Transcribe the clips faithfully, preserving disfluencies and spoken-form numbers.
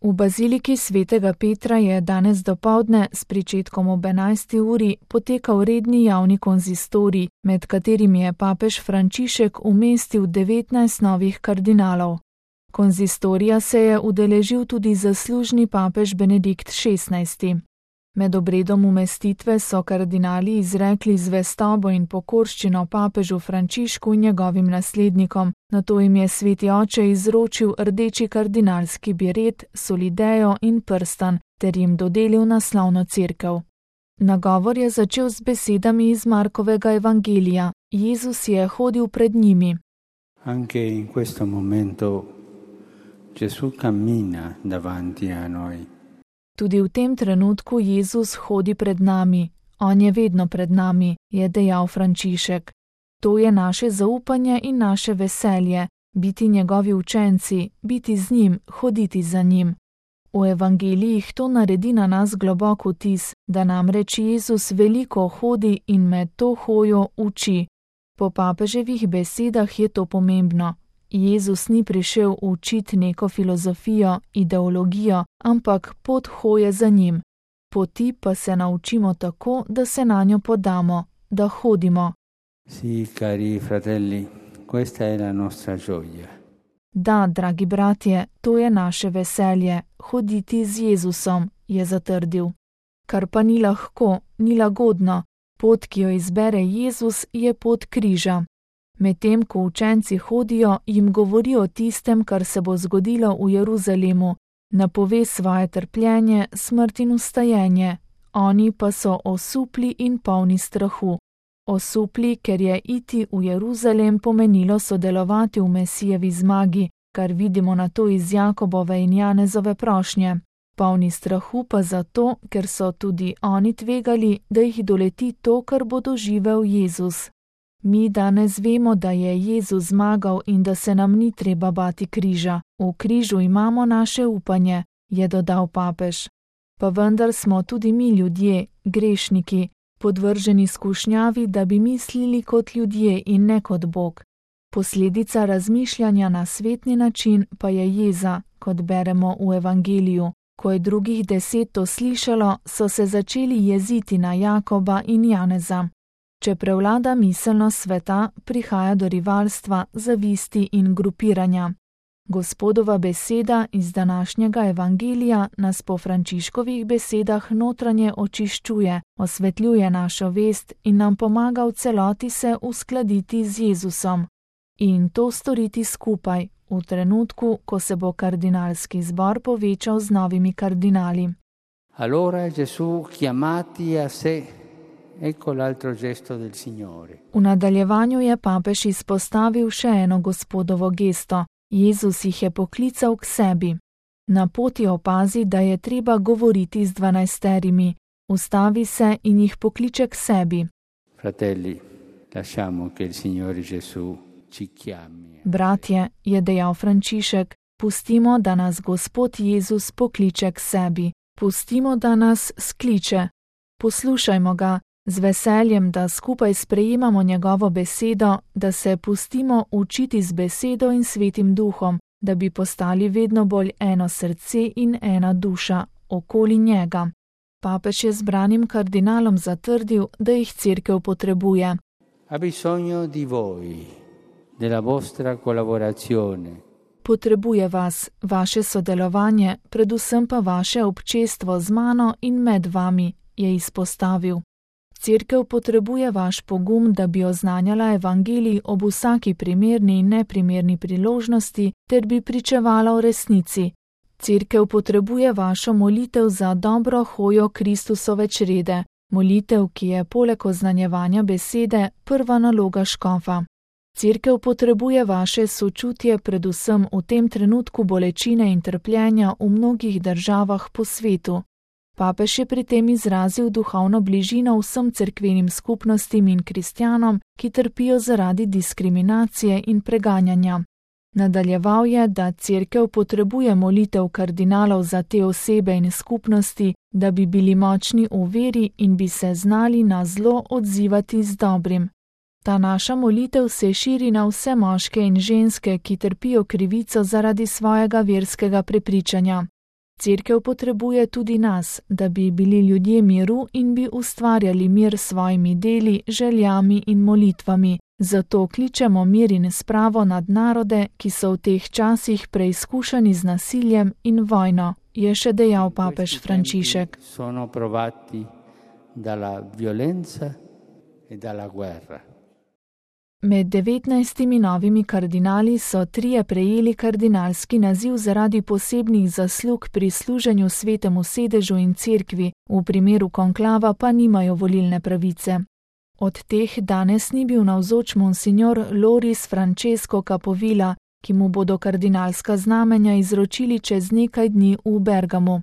V baziliki svetega Petra je danes dopoldne s pričetkom ob enajsti uri potekal redni javni konzistorij, med katerimi je papež Frančišek umestil devetnajst novih kardinalov. Konzistorija se je udeležil tudi zaslužni papež Benedikt šestnajsti. Med obredom umestitve so kardinali izrekli zvestobo in pokorščino papežu Frančišku in njegovim naslednikom, nato jim je sveti oče izročil rdeči kardinalski biret, solidejo in prstan ter jim dodelil naslovno cerkev. Nagovor je začel z besedami iz Markovega evangelija: Jezus je hodil pred njimi. Anche in questo momento Gesù cammina davanti a noi. Tudi v tem trenutku Jezus hodi pred nami, on je vedno pred nami, je dejal Frančišek. To je naše zaupanje in naše veselje, biti njegovi učenci, biti z njim, hoditi za njim. V evangelijih to naredi na nas globok vtis, da namreč Jezus veliko hodi in med to hojo uči. Po papeževih besedah je to pomembno. Jezus ni prišel učiti neko filozofijo, ideologijo, ampak pot hoje za njim. Poti pa se naučimo tako, da se nanjo podamo, da hodimo. Sì, cari fratelli, questa è la nostra gioia. Da, dragi bratje, to je naše veselje, hoditi z Jezusom, je zatrdil. Kar pa ni lahko, ni lagodno, pot, ki jo izbere Jezus, je pot križa. Medtem ko učenci hodijo, jim govori o tistem, kar se bo zgodilo v Jeruzalemu, napove svoje trpljenje, smrt in vstajenje, oni pa so osupli in polni strahu. Osupli, ker je iti v Jeruzalem pomenilo sodelovati v Mesijevi zmagi, kar vidimo na to iz Jakobove in Janezove prošnje. Polni strahu pa zato, ker so tudi oni tvegali, da jih doleti to, kar bo doživel Jezus. Mi danes vemo, da je Jezus zmagal in da se nam ni treba bati križa. V križu imamo naše upanje, je dodal papež. Pa vendar smo tudi mi ljudje, grešniki, podvrženi skušnjavi, da bi mislili kot ljudje in ne kot Bog. Posledica razmišljanja na svetni način pa je jeza, kot beremo v evangeliju. Ko je drugih deset to slišalo, so se začeli jeziti na Jakoba in Janeza. Če prevlada miselnost sveta, prihaja do rivalstva, zavisti in grupiranja. Gospodova beseda iz današnjega evangelija nas po Frančiškovih besedah notranje očiščuje, osvetljuje našo vest in nam pomaga v celoti se uskladiti z Jezusom. In to storiti skupaj, v trenutku, ko se bo kardinalski zbor povečal z novimi kardinali. Allora Gesù chiamati a sé. Ecco l'altro gesto del Signore. V nadaljevanju je papež izpostavil še eno Gospodovo gesto. Jezus jih je poklical k sebi. Na poti opazi, da je treba govoriti z dvanajsterimi. Ustavi se in jih pokliče k sebi. Fratelli, lasciamo che il Signore Gesù ci chiami. Bratje, je dejal Frančišek, pustimo, da nas Gospod Jezus pokliče k sebi. Pustimo, da nas skliče. Poslušajmo ga. Z veseljem, da skupaj sprejemamo njegovo besedo, da se pustimo učiti z besedo in svetim duhom, da bi postali vedno bolj eno srce in ena duša okoli njega. Papež je zbranim kardinalom zatrdil, da jih cerkev potrebuje. Ha bisogno di voi, della vostra collaborazione. Potrebuje vas, vaše sodelovanje, predvsem pa vaše občestvo z mano in med vami, je izpostavil. Cerkev potrebuje vaš pogum, da bi oznanjala evangelij ob vsaki primerni in neprimerni priložnosti, ter bi pričevala o resnici. Cerkev potrebuje vašo molitev za dobro hojo Kristusove črede, molitev, ki je poleg oznanjevanja besede prva naloga škofa. Cerkev potrebuje vaše sočutje predvsem v tem trenutku bolečine in trpljenja v mnogih državah po svetu. Papež je pri tem izrazil duhovno bližino vsem cerkvenim skupnostim in kristjanom, ki trpijo zaradi diskriminacije in preganjanja. Nadaljeval je, da cerkev potrebuje molitev kardinalov za te osebe in skupnosti, da bi bili močni v veri in bi se znali na zlo odzivati z dobrim. Ta naša molitev se širi na vse moške in ženske, ki trpijo krivico zaradi svojega verskega prepričanja. Cerkev potrebuje tudi nas, da bi bili ljudje miru in bi ustvarjali mir s svojimi deli, željami in molitvami. Zato kličemo mir in spravo nad narode, ki so v teh časih preizkušani z nasiljem in vojno, je še dejal papež Frančišek. Sono provati dalla violenza e dalla guerra. Med devetnajstimi novimi kardinali so trije prejeli kardinalski naziv zaradi posebnih zaslug pri služenju svetemu sedežu in cerkvi, v primeru konklava pa nimajo volilne pravice. Od teh danes ni bil navzoč monsignor Loris Francesco Capovilla, ki mu bodo kardinalska znamenja izročili čez nekaj dni v Bergamu.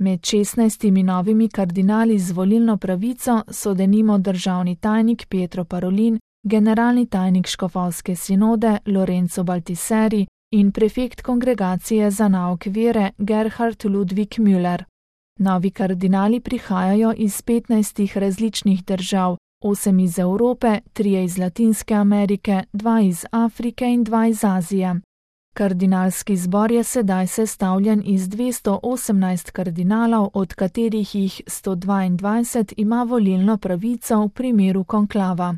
Med šestnajstimi novimi kardinali z volilno pravico so denimo državni tajnik Pietro Parolin, generalni tajnik škofovske sinode Lorenzo Baltiseri in prefekt kongregacije za nauk vere Gerhard Ludwig Müller. Novi kardinali prihajajo iz petnajstih različnih držav, osem iz Evrope, trije iz Latinske Amerike, dva iz Afrike in dva iz Azije. Kardinalski zbor je sedaj sestavljen iz dvesto osemnajst kardinalov, od katerih jih sto dvaindvajset ima volilno pravico v primeru konklava.